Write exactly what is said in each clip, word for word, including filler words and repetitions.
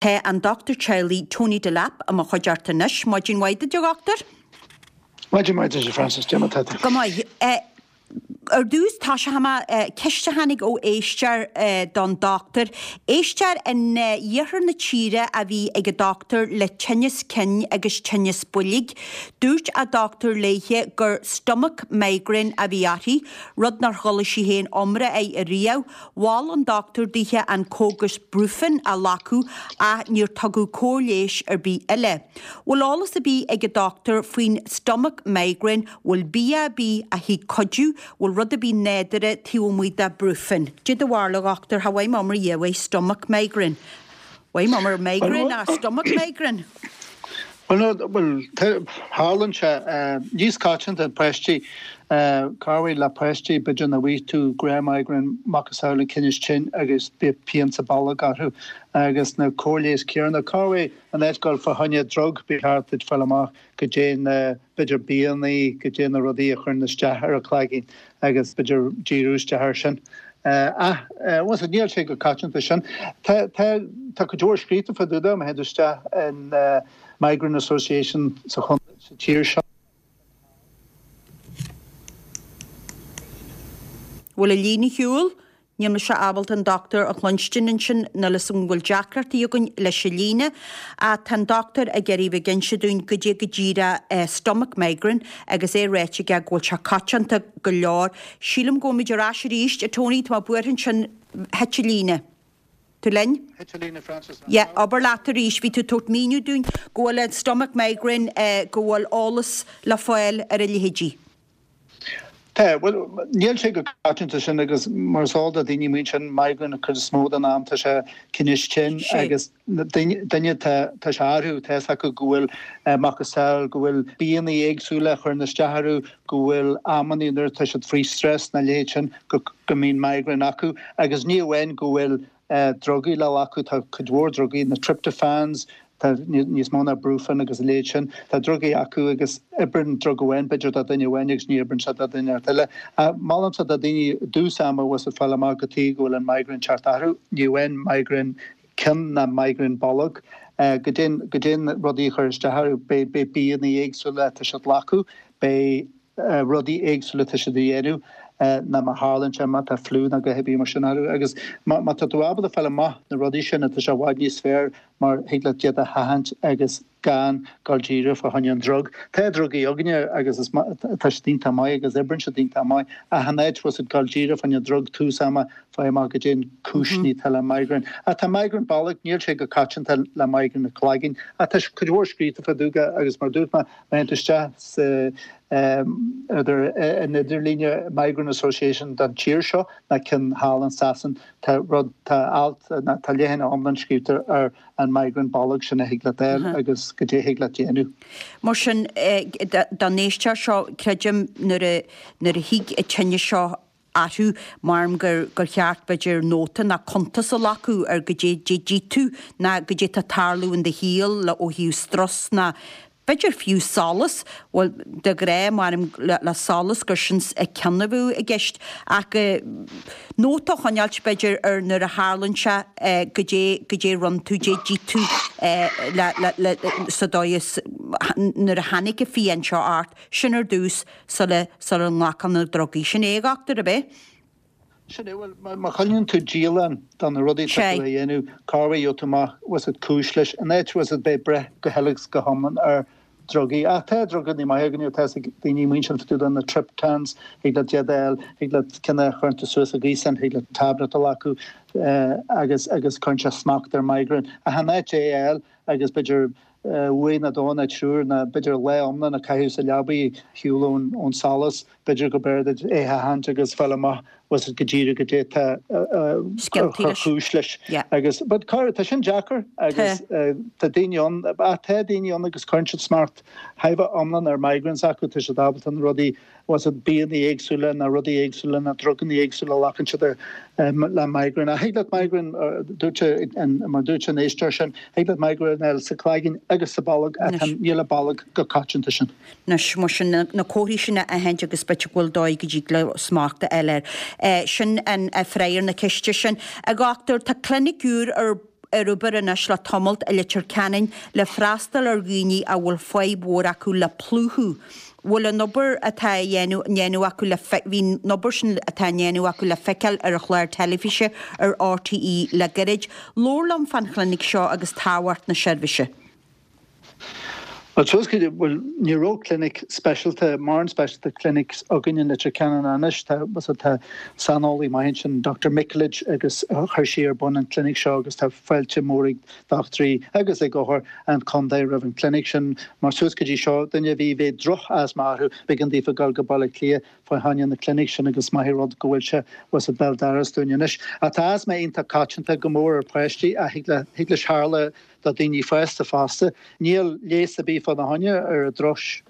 Tá an dochtúir teaghlaigh Tony Delap i mo chuideachta anois. Maidin mhaith duit, a dhochtúir. Maidin mhaith duit, a Frances. Cad é mar atá tú? Go maith. Ar dtús, tosóidh mé ceist a tháinig ó éisteoir don dochtúir. Éisteoir in iarthar na tíre a bhí ag an dochtúir le tinneas cinn agus tinneas boilg. Dúirt a dochtúir léithe gur stomach migraine a bhí uirthi, rud nár chuala sí féin iomrá air ariamh. Mhol an dochtúir dithe an cógas Brufen a ghlacadh ach níor tugadh cóir leighis ar bith eile. Bhfuil eolas ar bith ag an dochtúir faoin stomach migraine, bhfuil bia ar bith a thig cuidiú, bhfuil rud ar bith nádúrtha taobh amuigh de Brufen? Cad é do bharúil, a dhochtúir, cha bhfaighim iomrá riamh ar stomach migraine. Bhfaighim iomrá ar migraine ach stomach migraine? Bhuel, bhuel, tharlaíonn sé níos coitianta páistí, corruair le páistí, b'fhéidir nach bhfaighidh tú gnáth-migraine, macasamhail an tinneas cinn agus bíonn pian sa bolg orthu agus na cóir leighis céanna. Corruair in áit dul fá choinne drug, ba cheart duit fáil amach goidé na, b'fhéidir bianna, goidé na rudaí a chuireann isteach ar an cloigeann agus b'fhéidir díriú isteach air sin. Ach, bhuel, níl sé chomh coitianta sin. Tá, tá, tá cuid mhór scríofa fá dtaobh de, má théann tú isteach in Migraine Association sa chontae, sa tír seo. Bhfuil an líne ar shiúl? Níl mise ábalta an dochtúir a chluinstin ansin, níl 'fhios agam an bhfuil deacrachtaí againn leis an líne. Ach tá an dochtúir ag iarraidh bheith ag inse dúinn goidé go díreach stomach migraine agus é ráite aige go bhfuil sé coitianta go leor. Sílim go bhfuil muid ar ais arís, a Tony, tá mé buartha ansin, thit an líne. Tú linn? Thit an líne, Frances. Yeah, abair leat arís, bhí tú ag tabhairt míniú dúinn go bhfuil an stomach migraine, go bhfuil eolas le fáil ar a leithéidí. Tá, bhuel, níl sé chomh coitianta sin agus mar is eol do daoine amuigh ansin, migraine an chuid is mó den am tá sé tinneas cinn agus duine tá tá sé orthu, tá fhios acu go bhfuil macasamhail, go bhfuil bianna éagsúla a chuireann isteach orthu, go bhfuil amannaí nuair atá siad faoi stress na leithéid sin go go mbíonn migraine acu agus ní amháin go bhfuil drugaí le glacadh, tá cuid mhór drugaí, na tryptophans, tá níos mó ná Brufen agus a leithéid sin, tá drugaí acu agus oibreann drug amháin b'fhéidir do dhuine amháin agus ní oibreann sé do dhuine eile. Molaimse do dhaoine i dtús ama bhfuil siad fáil amach cad chuige go bhfuil an migraine teacht orthu, ní amháin migraine cinn ná migraine bolg, goidé goidé na rudaí a chuir isteach orthu, beidh beidh bianna éagsúla atá siad glacadh, beidh rudaí éagsúla atá siad a dhéanamh ná má tharlaíonn sé, má tá fliú nó a dhath ar bith mar sin orthu. Agus má tá tú ábalta fáil amach na rudaí sin, tá sé i bhfad níos fearr mar thig leat iad a sheachaint agus gan dul díreach fá choinne an drug. Tá drugaí againne agus is tá siad iontach maith agus oibreann siad iontach maith ach in áit bhfuil siad dul díreach fá choinne drug tús ama faigh amach goidé an cúiseanna atá le migraine. Ach tá migraine bolg, níl sé chomh coitianta le migraine an chloiginn ach tá cuid mhór scríofa fá dtaobh de agus mar dúirt mé, má théann tú isteach sa idir an idirlíne Migraine Association don tír seo ná ceann thall in Sasain, tá rud, tá alt, ná tá leathanach iomlán scríobhta ar an migraine bolg sin a thig leat fháil agus goidé a thig leat déanamh. Mar sin, don éisteoir seo, creidim nuair a, nuair a thig an tinneas seo orthu, maram gur gur cheart, b'fhéidir, nóta ná cuntas a ghlacadh ar goidé d'ith tú ná goidé tá ag tarlú in do shaol le ó thaobh strus ná b'fhéidir fiú solas, bhuel, de ghnáth, maram le solas gur sin an ceann a bheadh i gceist ach nóta a choinneáilt, b'fhéidir, ar nuair a tharlaíonn sé goidé goidé a rinne tú, goidé d'ith tú le le le sa dóigh is nuair a tháinig an phian seo ort, sin ar dtús sula sula nglacfá na drugaí. Sin é, a dhochtúir, ab é? Sin é, bhuel, má choinníonn tú dialann de na rudaí atá tú a dhéanamh, corruair gheobhaidh tú amach, bhfuil fhios agat cúis leis, in áit, bhfuil fhios agat bheith ag breith go huile is go hiomlán ar drugaí. Ach tá drugaí maithe againne, tá fhios ag daoine amuigh ansin fá dtaobh de na triptans, thig leat iad a fháil, thig leat ceann a chuireann tú suas an gaoth san, thig leat tablet a ghlacadh agus agus cuireann sé smacht ar migraine. Ach in áit é a fháil agus b'fhéidir uair nó dó nó triúr nó b'fhéidir lá iomlán a chaitheamh sa leabaidh ar shiúl ón ón solas, b'fhéidir go b'fhearr duit é a sheachaint agus fáil amach bhfuil fhios agat go díreach goidé tá ar chúis leis. Agus but tá sin deacair agus tá daoine ann, ach tá daoine ann agus cuireann siad smacht thar a bheith iomlán ar migraines acu, tá siad ábalta na rudaí bhfuil fhios agat bianna éagsúla nó rudaí éagsúla nó druganna éagsúla a ghlacann siad le migraine. Ach thig leat migraine, dúirt mar dúirt an éisteoir sin, thig leat migraine a fháil sa chloigeann agus sa bolg ach níl an bolg chomh coitianta sin. Anois, mar sin, na comharthaí sin a aithint agus b'fhéidir go bhfuil dóigh go dtig leo smacht a fháil air. Sin an freagra ar na ceiste sin. A dhochtúir, tá clinic úr ar ar obair anois le tamalt i Leitir Ceanainn le freastal ar dhaoine a bhfuil fadhb mhór acu le plúchadh. Bhfuil an obair atá á dhéanamh acu le bhí an obair sin atá á ndéanamh acu le feiceáil ar an chlár teilifíse ar RTÉ le gairid. Labhair liom fán chlinic seo agus tábhacht na seirbhíse. Bhuel, suas go dtí, bhuel, ní raibh clinic speisialta, mórán speisialta clinics againn in Leitir Ceanainn anois. Tá, tá saineolaí maith ansin, Doctor Mikulich, agus chuir sí ar bun an clinic seo agus tá fáilte mór ag dochtúirí agus ag othair an chontae roimh an clinic sin. Mar suas go dtí seo, duine a bhí, bhí droch-asma orthu, b'éigean daofa dul go Baile Átha Cliath fá choinne na clinic sin agus is maith an rud go bhfuil sé, bhfuil sé béal dorais dúinn anois. Ach tá asma iontach coitianta go mór ar pháistí ach thig le, thig leis tharla do daoine fásta fosta. Níl leigheas ar bith fá na choinne ar an drochscéal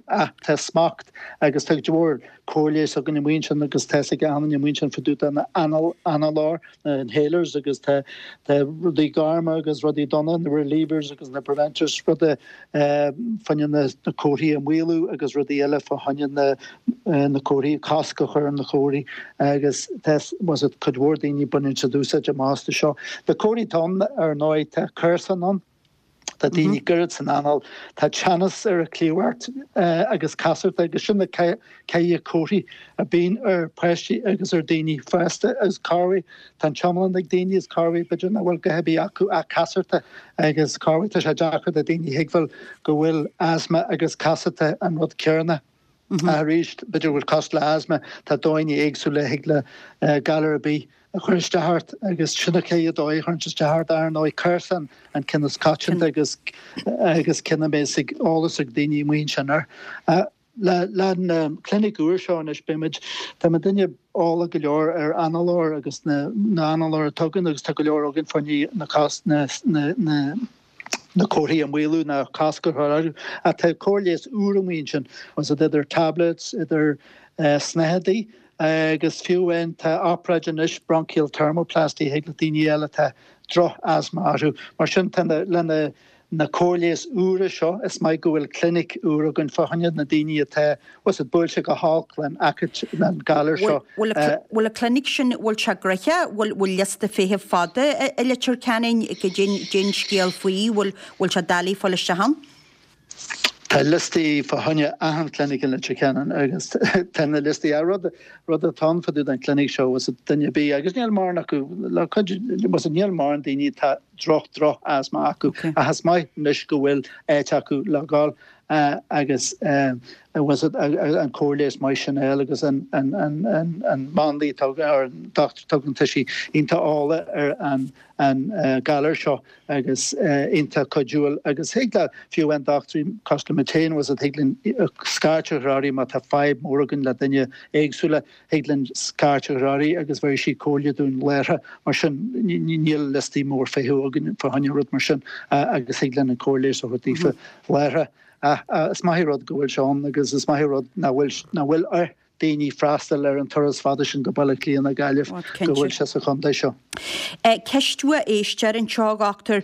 ach tá smacht agus tá cuid mhór cóir leighis againn amuigh ansin agus tá 'fhios ag achan duine amuigh ansin fá dtaobh de na análóir, na inhalers agus tá tá rudaí gorma agus rudaí donna, na relievers agus na preventers, rudaí fá choinne na na comharthaí a mhaolú agus rudaí eile fá choinne na na comharthaí, cosc a chur ar na comharthaí agus tá was it cuid mhór daoine baineann siad úsáid amach astu seo. Na comharthaí atá ann ar ndóigh tá cúrsa ann, tá daoine goirid san anáil, tá teannas ar a cliabhairt agus casarta agus sin na ceithre comharthaí a bíonn ar pháistí agus ar daoine fásta agus corruair tá an t-iomlán ag daoine is corruair b'fhéidir nach bhfuil a dhath ar bith acu ach casarta agus corruair tá sé deacair do daoine thuigbheáil go bhfuil asma agus casarta an rud céanna. Ach arís, b'fhéidir go bhfuil cosúil le asma, tá dóigheanna éagsúla thig le galar ar bith a chur isteach ort agus sin an chéad dóigh a chuireann sé isteach ort, ar ndóigh, cúrsa an ceann is coitianta agus agus ceann a mbeidh ag eolas ag daoine amuigh ansin air. Le le an clinic úr seo anois beimid, tá muidinne eolach go leor ar análóir agus na na análóir atá againn agus tá go leor againn fá choinne na cás na na na na comharthaí a mhaolú ná cosc a chur orthu. Ach tá cóir leighis úr amuigh ansin, was it idir tablets, idir snáthaidí agus fiú amháin tá obráid anois bronchial thermoplasty thig le daoine eile atá droch-asma orthu. Mar sin tá na le na na cóir leighis úra seo is maith go bhfuil clinic úr againn fá choinne na daoine atá was it buailte go holc len aicit len galar seo. Bhfuil an clinic sin bhfuil sé gnoitheach bhfuil bhfuil liosta feithimh fada i Leitir Ceanainn goidé an scéal faoi bhfuil bhfuil sé doiligh fáil isteach ann? Tá liostaí fá choinne achan clinic i Leitir Ceanainn agus tá na liostaí ar rud rud atá ann fá dtaobh den clinic seo was it duine ar bith agus níl mórán acu le cuid was it níl mórán daoine atá droch droch asma acu ach is maith anois go bhfuil áit acu le dhul agus was it an cóir leighis maith sin a fháil agus an an an an an máinlia atá or an dochtúir atá againn tá sí iontach eolach ar an an galar seo agus iontach cuidiúil agus thig le fiú amháin dochtúirí cosúil le mé féin was it thig linn scairt a chur uirthi má tá fadhb mór againn le duine éagsúla thig linn scairt a chur uirthi agus bheirfidh sí comhairle dúinn láithreach mar sin níl liostaí mór feithimh againn fá choinne rud mar sin agus thig linn an cóir leighis a thabhairt daofa láithreach. Ach is maith an rud go bhfuil sé ann agus is maith an rud nach bhfuil nach bhfuil ar daoine freastal ar an turas fada sin go Baile Átha Cliath nó Gaillimh, go bhfuil sé sa chontae seo. Ceist ó éisteoir anseo, a dhochtúir.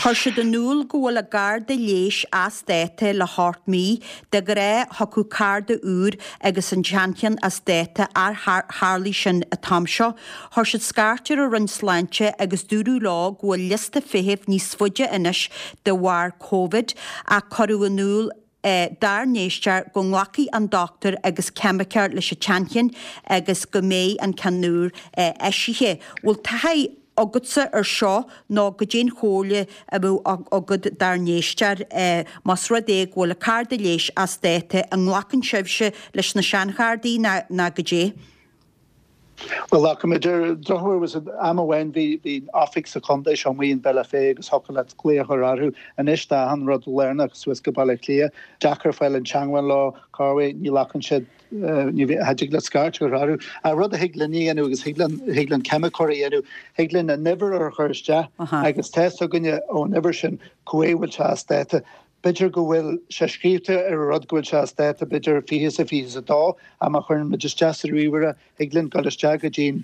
Chuir siad in iúl go bhfuil a gcárta leighis as dáta le hocht mí. De ghnáth, thiocfadh cárta úr agus an seancheann as dáta ar tharlaigh sin an t-am seo. Chuir siad scairt ar an Roinn Sláinte agus dúradh leo go bhfuil liosta feithimh níos faide anois de bharr Covid ach cuireadh in iúl dár n-éisteoir go nglacfaidh an dochtúir agus ceimiceoir leis an tseancheann agus go mbeidh an ceann úr eisithe. Bhfuil taithí agatsa ar seo nó goidé an chomhairle a bheadh agat dár n-éisteoir más rud é go bhfuil a cárta leighis as dáta, an nglacann sibhse leis na seanchártaí nó goidé? Bhuel, glacaimid. Ar an drochuair, was it am amháin bhí bhí oifig sa chontae seo amuigh in Bealach Féich agus thiocfadh leat glaoch a chur orthu. Anois tá achan rud lárnach suas go Baile Átha Cliath. Deacair fáil in teangmháil leo, corruair ní ghlacann siad, ní cha dtig leat scairt a chur orthu. Ach rud a thig linn a dhéanamh agus thig linn thig linn ceimiceoir a dhéanamh, thig linn an uimhir a chur isteach agus tá 'fhios againne ón uimhir sin cá huair a bhfuil sé as dáta. B'fhéidir go bhfuil sé scríobhta ar an rud go bhfuil sé as dáta, b'fhéidir fiche is a fiche is a dó, ach má chuireann muid isteach sa ríomhaire, thig linn dul isteach go dtí'n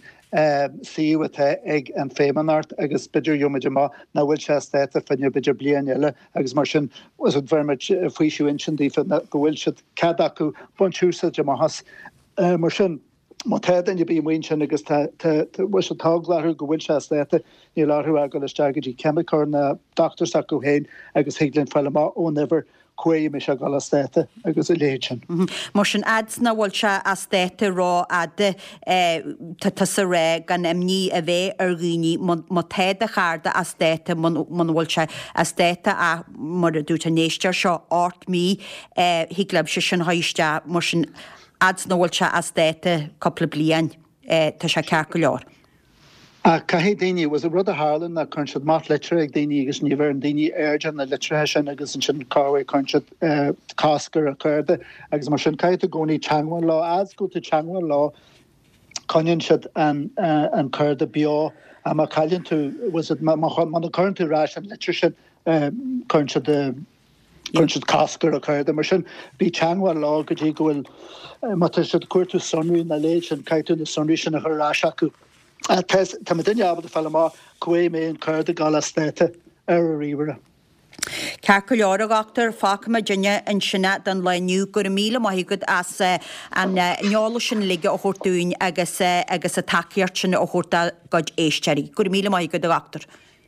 suíomh atá ag an Feidhmeannacht agus b'fhéidir gheobhaimid amach nach bhfuil sé as dáta fá choinne b'fhéidir bliain eile agus mar sin bheir muid faoiseamh intinn daofa go bhfuil siad cead acu baint úsáid amach as. Mar sin. Má tá duine ar bith amuigh ansin agus tá tá tá bhfuil sé tá eagla orthu go bhfuil sé as dáta, níl orthu ach dul isteach go dtí ceimiceoir nó dochtúir s'acu féin agus thig linn fáil amach ón uimhir cá huair a mbeidh sé ag dul as dáta agus a leithéid sin. Mar sin, fhad 's nach bhfuil sé as dáta rófhada, tá tusa ag rá gan imní a bheith ar dhaoine má tá do chárta as dáta, muna bhfuil sé as dáta ach mar a dúirt an éisteoir seo, ocht mí, thig libhse sin a chur isteach mar sin. Fhad 's nach bhfuil sé as dáta cúpla bliain, tá sé ceart go leor. Ach caithfidh daoine, bhfuil 's agat, rud a tharlann ná cuireann siad amach litreacha ag daoine agus ní bheireann daoine aird ar na litreacha sin agus ansin corruair cuireann siad cosc ar an chárta agus mar sin caithfidh tú i gcónaí teagmháil leo. Fhad 's go bhfuil tú teagmháil leo coinníonn siad an cárta beo ach má chailleann tú, bhfuil 's agat, muna gcuireann tú ar ais an litir sin cuireann siad Cuireann siad cosc ar an chárta. Mar sin, bí i dteangmháil leo go dtí go bhfuil, má tá siad ag cuartú sonraí nó a leithéid sin, caithfidh tú na sonraí sin a chur ar ais acu. Tá tá duine ábalta fáil amach cá huair a mbeidh an cárta ag dul as dáta ar a ríomhaire. Ceart go leor, a dhochtúir, fágfaidh muidinne ansin é don lá inniu. Go raibh míle maith agat as an eolas sin uilig a thabhairt dúinn agus agus an tacaíocht sin a thabhairt dár gcuid éisteoirí. Go raibh míle maith agat, a dhochtúir.